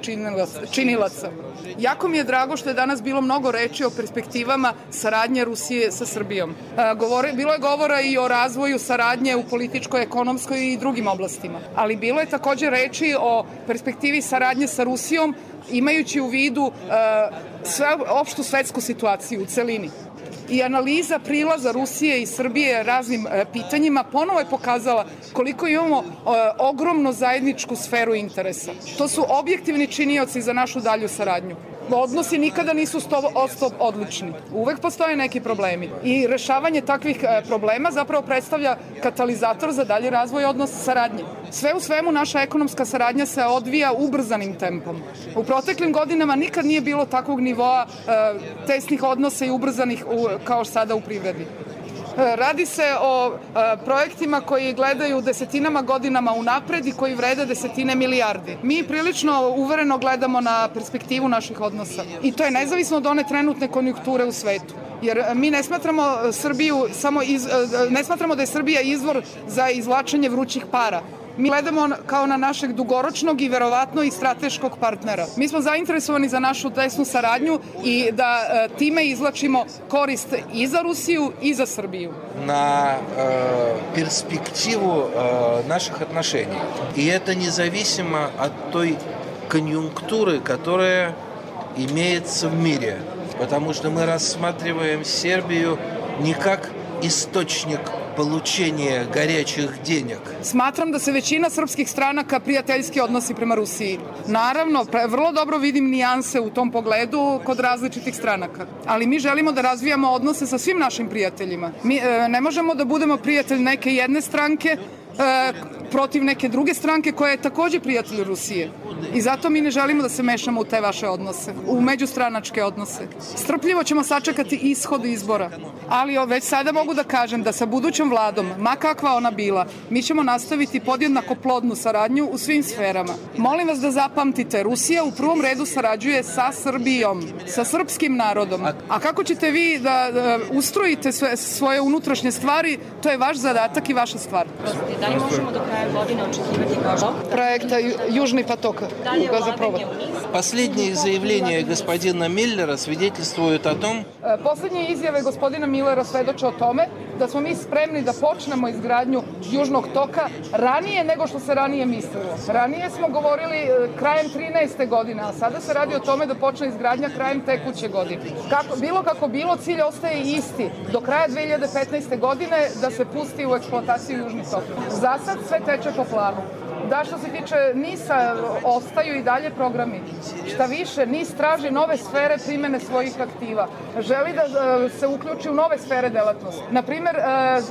S5: činilaca. Jako mi je drago što je danas bilo mnogo reči o perspektivama saradnje Rusije sa Srbijom. Govore, bilo je govora i o razvoju saradnje u političkoj, ekonomskoj i drugim oblastima, ali bilo je takođe reči o perspektivi saradnje sa Rusijom imajući u vidu uh, sve, opštu svetsku situaciju u celini. I analiza prilaza Rusije i Srbije raznim e, pitanjima ponovo je pokazala koliko imamo e, ogromno zajedničku sferu interesa. To su objektivni činioci za našu dalju saradnju. Odnosi nikada nisu sto posto odlični. Uvek postoje neki problemi. I rešavanje takvih e, problema zapravo predstavlja katalizator za dalji razvoj odnosa saradnje. Sve u svemu naša ekonomska saradnja se odvija ubrzanim tempom. U proteklim godinama nikad nije bilo takvog nivoa e, tesnih odnosa i ubrzanih u, kao sada u privredi. Radi se o a, projektima koji gledaju desetinama godinama unapred i koji vrede desetine milijardi. Mi prilično uvereno gledamo na perspektivu naših odnosa i to je nezavisno od one trenutne konjunkture u svetu. Jer mi ne smatramo Srbiju samo iz, ne smatramo da je Srbija izvor za izvlačenje vrućih para. Mi gledamo kao na našeg dugoročnog i verovatno i strateškog partnera. Mi smo zainteresovani za našu tesnu saradnju i da e, time izvlačimo korist i za Rusiju i za Srbiju.
S8: На э, перспективу э, наших отношений. И это независимо от той конъюнктуры, которая имеется в мире. Потому что мы рассматриваем Сербию не как источник получения горячих денег.
S5: Smatram da se većina srpskih stranaka prijateljski odnosi prema Rusiji. Naravno, vrlo dobro vidim nijanse u tom pogledu kod različitih stranaka. Ali mi želimo da razvijamo odnose sa svim našim prijateljima. Mi e, ne možemo da budemo prijatelj neke jedne stranke e, protiv neke druge stranke koja je takođe prijatelj Rusije. I zato mi ne želimo da se mešamo u te vaše odnose, u međustranačke odnose. Strpljivo ćemo sačekati ishod izbora, ali već sada mogu da kažem da sa budućom vladom, ma kakva ona bila, mi ćemo nastaviti podjednako plodnu saradnju u svim sferama. Molim vas da zapamtite, Rusija u prvom redu sarađuje sa Srbijom, sa srpskim narodom. A kako ćete vi da, da ustrojite sve, svoje unutrašnje stvari, to je vaš zadatak i vaša stvar.
S15: Da li možemo do kraja godine očekivati kao
S5: projekta Južni поток?
S8: Последние заявления господина Миллера свидетельствуют о том...
S5: Poslednje izjave gospodina Millera svedoče o tome da smo mi spremni da počnemo izgradnju Južnog toka ranije nego što se ranije mislilo. Ranije smo govorili krajem trinaeste godine, a sada se radi o tome da počne izgradnja krajem tekuće godine. Kako, bilo kako bilo, cilj ostaje isti. Do kraja dve hiljade petnaeste. godine da se pusti u eksploataciju Južni tok. Za sad sve teče po planu. Da, što se tiče NIS-a, ostaju i dalje programi. Šta više, NIS traži nove sfere primene svojih aktiva. Želi da se uključi u nove sfere delatnosti. Naprimer,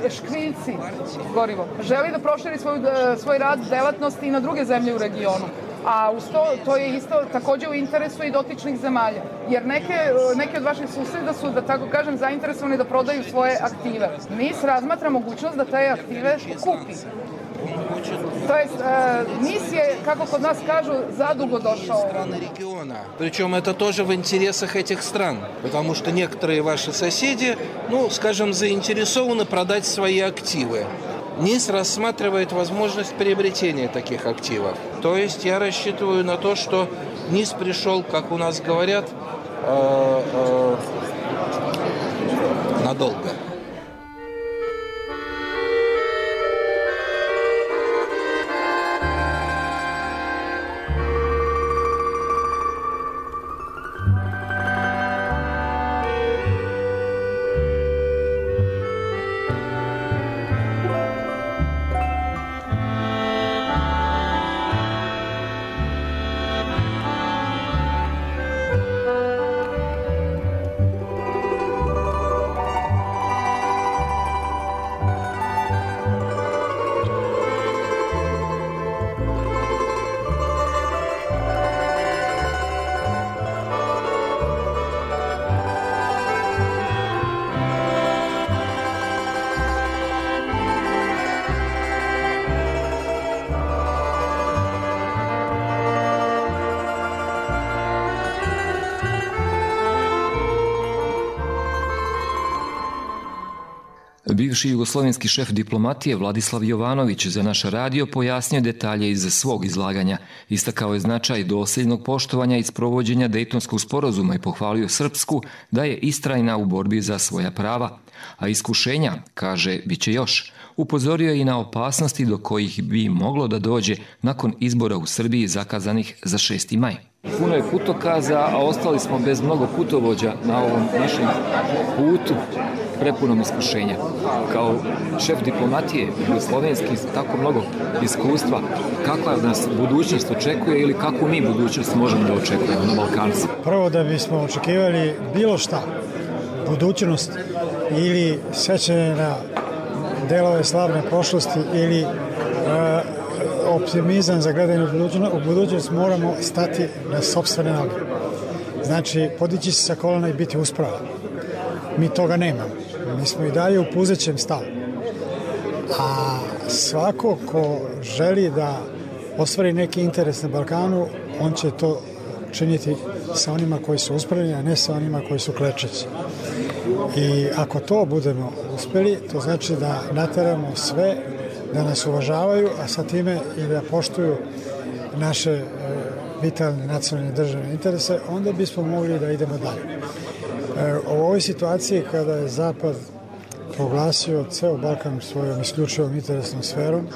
S5: škriljci, gorivo. Želi da proširi svoj, svoj rad delatnosti i na druge zemlje u regionu. A uz to, to je isto takođe u interesu i dotičnih zemalja. Jer neke, neke od vaših suseda su, da tako kažem, zainteresovani da prodaju svoje aktive. NIS razmatra mogućnost da te aktive kupi. То есть э, НИС je, kako kod nas kažu, zadugo došao.
S8: Причем это тоже в интересах этих стран, потому что некоторые ваши соседи, ну, скажем, заинтересованы продать свои активы. НИС рассматривает возможность приобретения таких активов. То есть я рассчитываю на то, что НИС пришел, как у нас говорят, э, э, надолго.
S1: Bivši jugoslovenski šef diplomatije Vladislav Jovanović za naš radio pojasnio detalje iz svog izlaganja. Istakao je značaj dosljednog poštovanja i sprovođenja Dejtonskog sporazuma i pohvalio Srpsku da je istrajna u borbi za svoja prava. A iskušenja, kaže, bit će još. Upozorio je i na opasnosti do kojih bi moglo da dođe nakon izbora u Srbiji zakazanih za šesti maj. Puno je putokaza, a ostali smo bez mnogo putovođa na ovom našem putu prepunom iskušenja. Kao šef diplomatije jugoslovenski, tako mnogo iskustva, kakva nas budućnost očekuje ili kakvu mi budućnost možemo da očekujemo na Balkanu?
S3: Prvo da bismo očekivali bilo šta, budućnost ili sećanje na delove slavne prošlosti ili uh, optimizam za gledanje u budućnost, moramo stati na sopstvene noge. Znači, podići se sa kolena i biti uspravan. Mi toga nemamo. Mi smo i dalje u puzećem stavu. A svako ko želi da ostvari neki interes na Balkanu, on će to činiti sa onima koji su uspravljeni, a ne sa onima koji su klečeći. I ako to budemo uspeli, to znači da nateramo sve da nas uvažavaju, a sa time i da poštuju naše e, vitalne nacionalne državne interese, onda bismo mogli da idemo dalje. E, u ovoj situaciji kada je Zapad proglasio ceo Balkan svojom isključivom interesnom sferom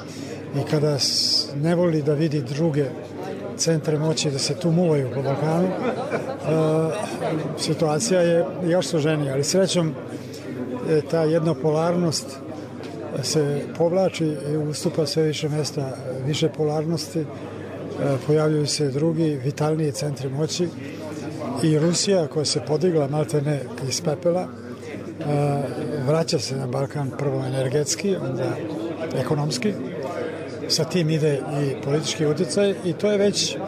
S3: i kada ne voli da vidi druge centre moći da se tu muvaju po Balkanu, e, situacija je još složenija, ali srećom e, ta jednopolarnost se povlači i ustupa sve više mesta više polarnosti, e, pojavljuju se drugi vitalniji centri moći i Rusija koja se podigla maltene iz pepela e, vraća se na Balkan prvo energetski, onda ekonomski, sa tim ide i politički utjecaj i to je već e,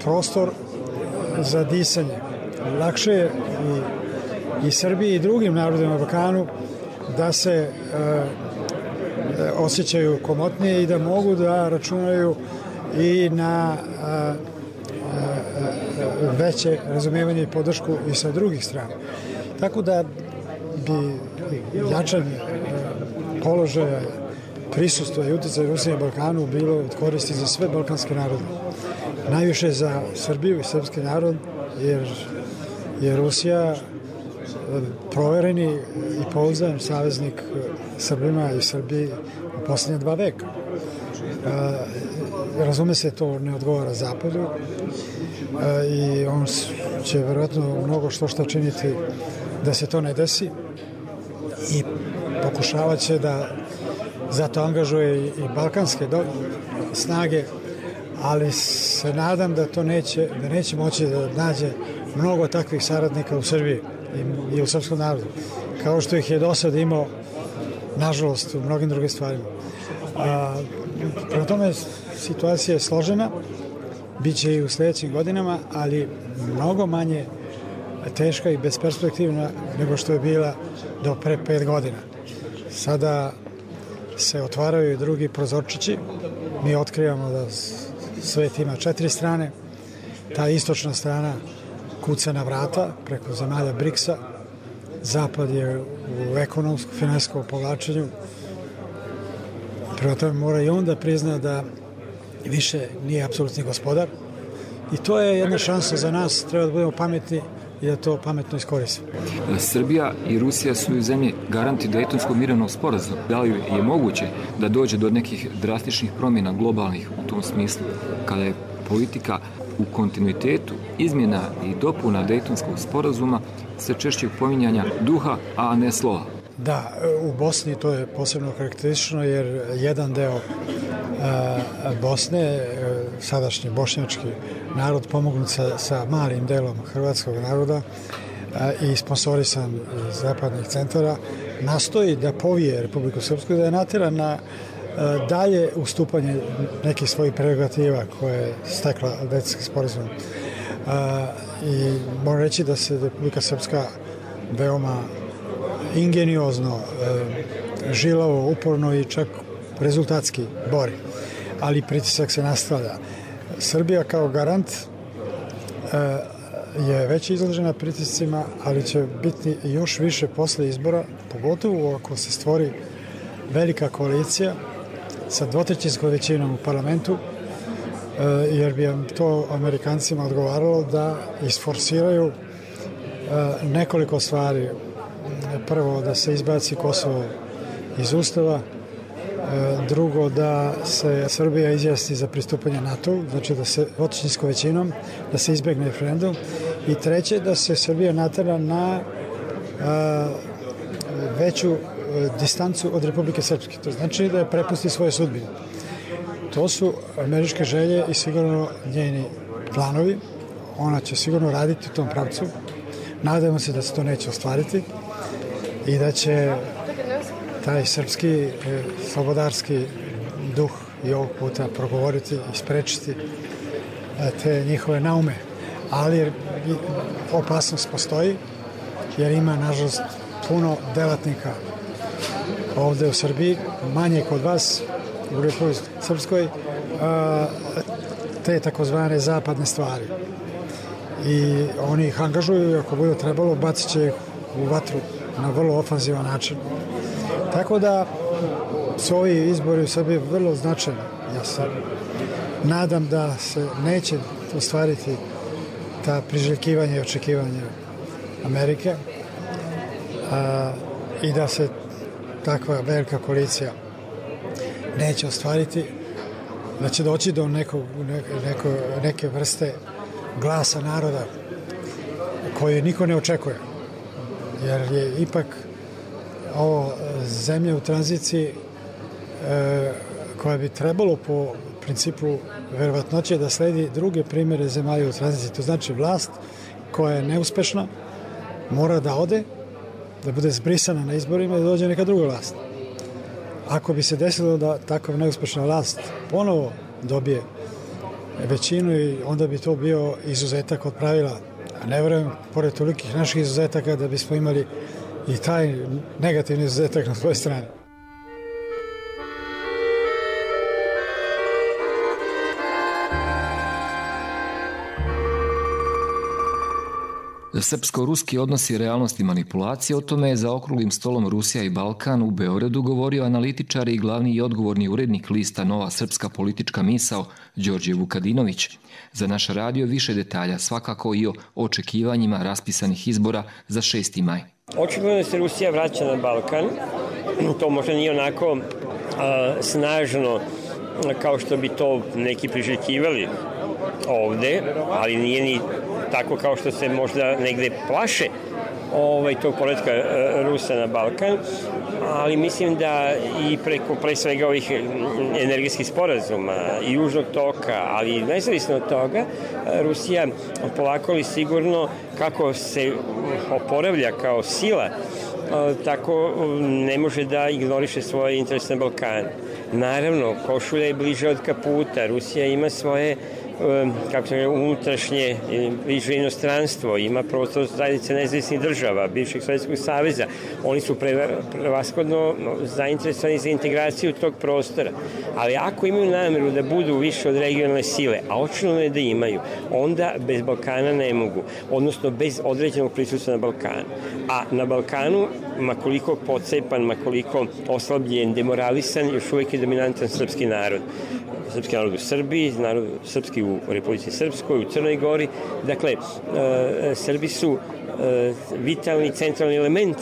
S3: prostor za disanje. Lakše je i, i Srbiji i drugim narodima na Balkanu da se e, osjećaju komotnije i da mogu da računaju i na a, a, a, veće razumijevanje i podršku i sa drugih strana. Tako da bi jačanje položaja, prisustva i utjecaja Rusije na Balkanu bilo od koristi za sve balkanske narode. Najviše za Srbiju i srpski narod, jer je Rusija provereni i pouzdan saveznik Srbima i Srbiji u posljednje dva veka. Razume se, to ne odgovara Zapadu i on će verovatno mnogo što šta činiti da se to ne desi i pokušavat će da zato angažuje i balkanske snage, ali se nadam da to neće, da neće moći da nađe mnogo takvih saradnika u Srbiji i u srpskom narodu, kao što ih je do sada imao, nažalost, u mnogim drugim stvarima. A, prema tome, situacija je složena, bit će i u sljedećim godinama, ali mnogo manje teška i besperspektivna nego što je bila do pre pet godina. Sada se otvaraju i drugi prozorčići. Mi otkrivamo da svet ima četiri strane. Ta istočna strana kuca na vrata preko zemalja briksa. Zapad je u ekonomskom, finansijskom povlačenju. Prema tome mora i on da prizna da više nije apsolutni gospodar. I to je jedna šansa za nas. Treba da budemo pametni i da to pametno iskoristimo.
S1: Srbija i Rusija su u zemlji garanti Dejtonskog mirovnog sporazuma. Da li je moguće da dođe do nekih drastičnih promjena globalnih u tom smislu, kada je politika u kontinuitetu izmjena i dopuna Dejtonskog sporazuma se češće pominjanja duha, a ne slova?
S3: Da, u Bosni to je posebno karakteristično jer jedan deo uh, Bosne, uh, sadašnji bošnjački narod pomognut sa, sa malim delom hrvatskog naroda uh, i sponsorisan iz zapadnih centara, nastoji da povije Republiku Srpsku, da je natjera na uh, dalje ustupanje nekih svojih prerogativa koje je stekla Dejtonskim sporazumom. Uh, I moram reći da se Republika Srpska veoma ingeniozno, e, žilavo, uporno i čak rezultatski bori. Ali pritisak se nastavlja. Srbija kao garant e, je već izložena pritiscima, ali će biti još više posle izbora, pogotovo ako se stvori velika koalicija sa dvotrećinskom većinom u parlamentu, jer bi to Amerikancima odgovaralo da isforsiraju nekoliko stvari. Prvo, da se izbaci Kosovo iz Ustava, drugo, da se Srbija izjasni za pristupanje NATO, znači da se dvotrećinskom većinom, da se izbegne referendum, i treće, da se Srbija natera na a, veću distancu od Republike Srpske. To znači da je prepusti svoje sudbine. To su američke želje i sigurno njeni planovi. Ona će sigurno raditi u tom pravcu. Nadamo se da se to neće ostvariti i da će taj srpski e, slobodarski duh i ovog puta progovoriti i sprečiti e, te njihove naume. Ali opasnost postoji, jer ima, nažalost, puno delatnika ovde u Srbiji, manje kod vas u Republici Srpskoj, a, te takozvane zapadne stvari. I oni ih angažuju i ako bude trebalo, bacit će ih u vatru na vrlo ofanzivan način. Tako da su ovi izbori u Srbiji vrlo značajni. Ja se nadam da se neće ostvariti ta priželjkivanja i očekivanja Amerike a, i da se takva velika koalicija neće ostvariti, da će doći do nekog, neko, neke vrste glasa naroda koji niko ne očekuje. Jer je ipak ovo zemlja u tranziciji e, koja bi trebalo po principu verovatnoće da sledi druge primere zemalja u tranziciji. To znači vlast koja je neuspešna mora da ode, da bude zbrisana na izborima i da dođe neka druga vlast. Ako bi se desilo da takav neuspešna vlast ponovo dobije većinu, i onda bi to bio izuzetak od pravila. A ne verujem, pored tolikih naših izuzetaka, da bismo imali i taj negativni izuzetak na svojoj strani.
S1: Srpsko-ruski odnosi, realnost i manipulacije, o tome je za okruglim stolom Rusija i Balkan u Beogradu govorio analitičar i glavni i odgovorni urednik lista Nova srpska politička misao Đorđe Vukadinović. Za naš radio više detalja, svakako i o očekivanjima raspisanih izbora za šesti maj.
S6: Očigledno da se Rusija vraća na Balkan. To možda nije onako a, snažno kao što bi to neki priželjkivali ovde, ali nije ni tako kao što se možda negde plaše ovaj, tog poletka Rusa na Balkan, ali mislim da i preko pre svega ovih energetskih sporazuma i južnog toka, ali nezavisno od toga, Rusija polako li sigurno kako se oporavlja kao sila, tako ne može da ignoriše svoje interese na Balkanu. Naravno, košulja je bliže od kaputa, Rusija ima svoje kako se kaže, unutrašnje bliže inostranstvo, ima prostor zajednice nezavisnih država, bivšeg Sovjetskog saveza. Oni su prevashodno zainteresovani za integraciju tog prostora. Ali ako imaju nameru da budu više od regionalne sile, a očigledno je da imaju, onda bez Balkana ne mogu, odnosno bez određenog prisustva na Balkanu. A na Balkanu, makoliko pocepan, makoliko oslabljen, demoralisan, još uvijek je dominantan srpski narod. Srpski narod u Srbiji, narod srpski u Republici Srpskoj, u Crnoj Gori. Dakle, e, Srbi su e, vitalni, centralni element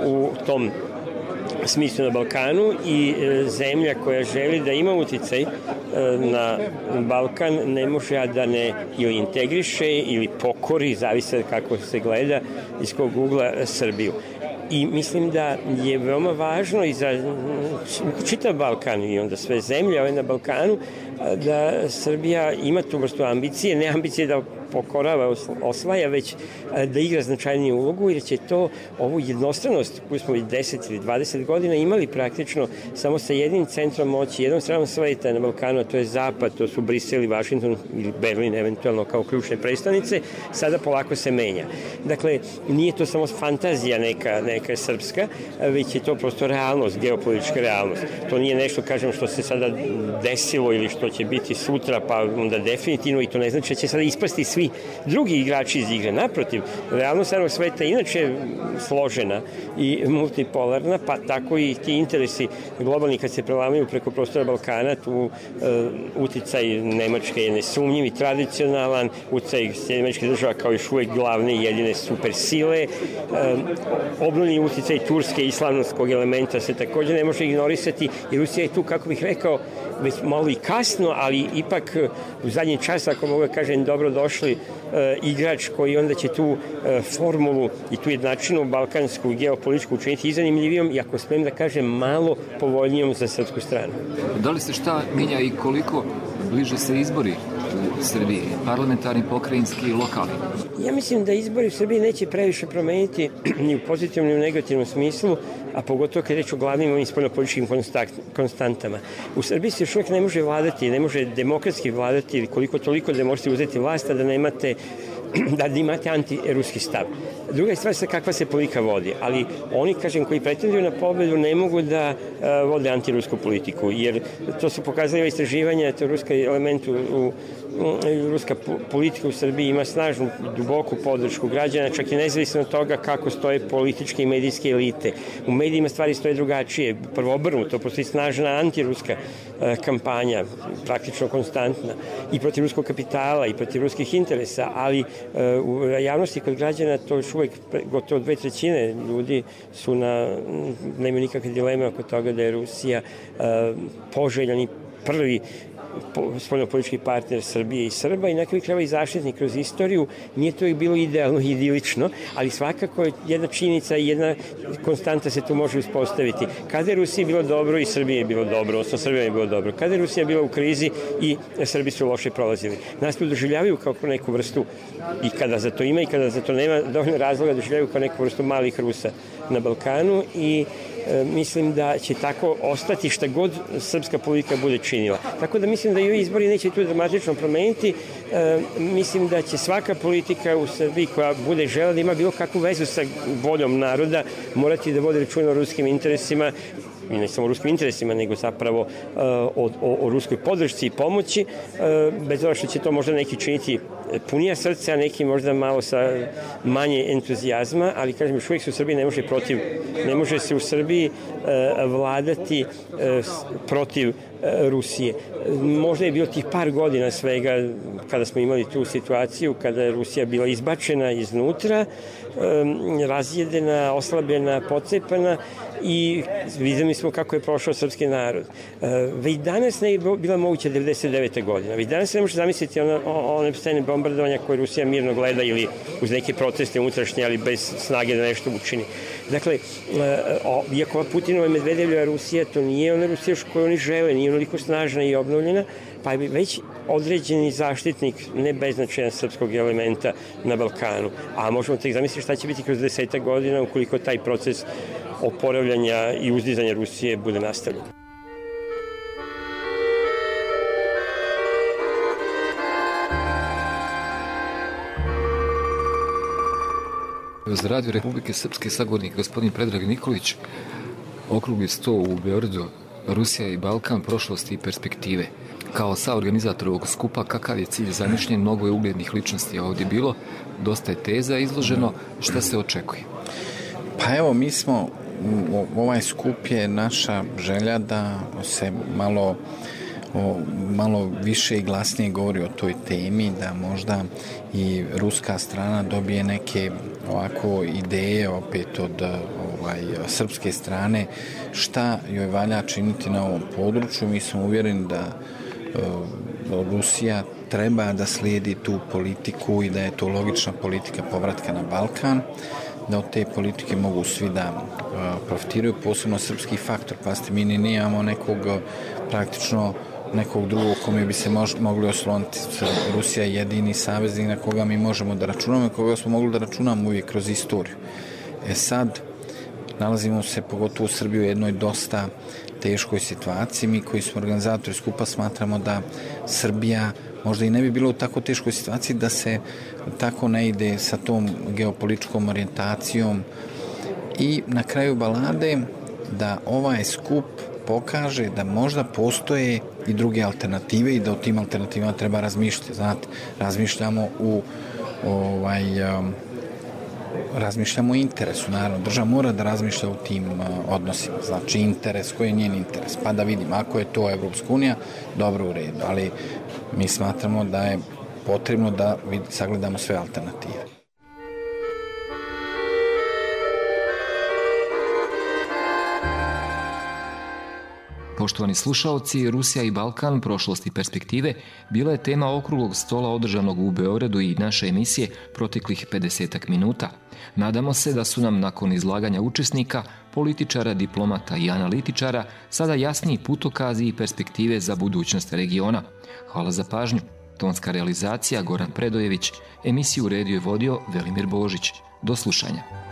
S6: u tom smislu na Balkanu i e, zemlja koja želi da ima uticaj e, na Balkan ne može a da ne ili integriše ili pokori, zavisi kako se gleda iz kog ugla Srbiju. I mislim da je veoma važno i za čitav Balkan i onda sve zemlje ove na Balkanu da Srbija ima tu vrstu ambicije, ne ambicije da pokorava, osvaja, već da igra značajniju ulogu, jer će to ovu jednostranost koju smo i deset ili dvadeset godina imali praktično samo sa jednim centrom moći, jednom stranom sveta na Balkanu, a to je Zapad, to su Brisel i Vašington ili Berlin eventualno kao ključne predstavnice, sada polako se menja. Dakle, nije to samo fantazija neka, neka srpska, već je to prosto realnost, geopolitička realnost. To nije nešto, kažem, što se sada desilo ili što će biti sutra, pa onda definitivno, i to ne znači da će sada ispasti svi drugi igrači iz igre. Naprotiv, realnost stranog sveta inače je složena i multipolarna, pa tako i ti interesi globalni kad se prelamaju preko prostora Balkana, tu uh, uticaj Nemačke je nesumnjiv i tradicionalan, uticaj Sjedinih država kao još uvek glavne i jedine supersile, uh, obnovljeni uticaj Turske i islamskog elementa se takođe ne može ignorisati, jer Rusija je tu, kako bih rekao, već malo i kasno, ali ipak u zadnji čas, ako mogu da kažem, dobro došli e, igrač koji onda će tu e, formulu i tu jednačinu balkansku geopolitičku učiniti izanimljivijom i, ako smijem da kažem, malo povoljnijom za srpsku stranu.
S1: Da li se šta menja i koliko bliže se izbori u Srbiji, parlamentarni, pokrajinski i lokalni?
S6: Ja mislim da izbori u Srbiji neće previše promeniti ni u pozitivnom ni u negativnom smislu, a pogotovo kad je reč o glavnim ovim spoljnopolitičkim konstantama. U Srbiji se još uvijek ne može vladati, ne može demokratski vladati ili koliko toliko da možete uzeti vlast, da nemate da imate antiruski stav. Druga je stvar sa kakva se politika vodi, ali oni, kažem, koji pretenduju na pobedu ne mogu da uh, vode antirusku politiku, jer to su pokazali istraživanja, to ruski element u, u, u ruska politika u Srbiji ima snažnu, duboku podršku građana, čak i nezavisno od toga kako stoje političke i medijske elite. U medijima stvari stoje drugačije, prvo obrnuto, postoji snažna antiruska uh, kampanja, praktično konstantna, i protiv ruskog kapitala, i protiv ruskih interesa, ali uh, u javnosti kod građana to još uvek gotovo dve trećine ljudi su na, nemaju nikakve dileme oko toga da je Rusija uh, poželjan i prvi spoljnopolitički partner Srbije i Srba i na kraju krajeva i zaštitnik kroz istoriju. Nije to uvijek bilo idealno i idilično, ali svakako jedna činjenica i jedna konstanta se tu može uspostaviti. Kada je Rusiji bilo dobro i Srbije je bilo dobro, odnosno Srbije je bilo dobro. Kada je Rusija bila u krizi i Srbi su loše prolazili. Nas to doživljavaju kao neku vrstu, i kada za to ima i kada za to nema dovoljno razloga, doživljavaju kao neku vrstu malih Rusa na Balkanu i e, mislim da će tako ostati šta god srpska politika bude činila. Tako da mislim da i ovi izbori neće tu dramatično promeniti. E, mislim da će svaka politika u Srbiji koja bude žela da ima bilo kakvu vezu sa voljom naroda morati da vodi računa o ruskim interesima, i ne samo o ruskim interesima, nego zapravo uh, o, o, o ruskoj podršci i pomoći, uh, bez obzira što će to možda neki činiti punija srca, a neki možda malo sa manje entuzijazma, ali kažem, još uvijek se u Srbiji ne može protiv, ne može se u Srbiji uh, vladati uh, protiv uh, Rusije. Možda je bilo tih par godina svega kada smo imali tu situaciju, kada je Rusija bila izbačena iznutra, um, razjedena, oslabljena, pocepana, i videli smo kako je prošao srpski narod. Uh, već danas ne je bila moguća devedeset devete godina. Već danas se ne može zamisliti one, one scene bombardovanja koje Rusija mirno gleda ili uz neke proteste unutrašnje, ali bez snage da nešto učini. Dakle, uh, iako Putinova i Medvedevljeva Rusija, to nije ona Rusija koju oni žele, nije onoliko snažna i obnovljena, pa je već određeni zaštitnik ne beznačajan srpskog elementa na Balkanu. A možemo tek zamisliti šta će biti kroz desetak godina ukoliko taj proces oporavljanja i uzdizanja Rusije bude nastavljen.
S1: Za Radio Republike Srpske sagovornik gospodin Predrag Nikolić, okrugli sto u Beogradu, Rusija i Balkan, prošlosti i perspektive. Kao saorganizator ovog skupa, kakav je cilj zamišljen? Mnogo je uglednih ličnosti ovdje bilo, dosta je teza izloženo, šta se očekuje?
S16: Pa evo, mi smo, ovaj skup je naša želja da se malo, o, malo više i glasnije govori o toj temi, da možda i ruska strana dobije neke ovako ideje opet od ovaj, srpske strane šta joj valja činiti na ovom području. Mi smo uvjereni da o, Rusija treba da slijedi tu politiku i da je to logična politika povratka na Balkan, da od te politike mogu svi da uh, profitiraju, posebno srpski faktor. Pazite, mi ni nemamo nekog praktično nekog drugog kome bi se mož, mogli osloniti. Rusija je jedini saveznik na koga mi možemo da računamo i koga smo mogli da računamo uvijek kroz istoriju. E sad, nalazimo se pogotovo u Srbiji u jednoj dosta teškoj situaciji. Mi koji smo organizatori skupa smatramo da Srbija možda i ne bi bilo u tako teškoj situaciji da se tako ne ide sa tom geopolitičkom orijentacijom i na kraju balade da ovaj skup pokaže da možda postoje i druge alternative i da o tim alternativama treba razmišljati. Znate, razmišljamo u ovaj, razmišljamo o interesu, naravno. Država mora da razmišlja u tim odnosima. Znači, interes, koji je njen interes? Pa da vidim, ako je to Evropska unija, dobro, u redu. Ali mi smatramo da je potrebno da sagledamo sve alternative.
S1: Poštovani slušaoci, Rusija i Balkan, prošlost i perspektive, bila je tema okruglog stola održanog u Beogradu i naše emisije proteklih pedesetak minuta. Nadamo se da su nam nakon izlaganja učesnika, političara, diplomata i analitičara sada jasniji putokazi i perspektive za budućnost regiona. Hvala za pažnju. Tonska realizacija Goran Predojević, emisiju uredio i vodio Velimir Božić. Do slušanja.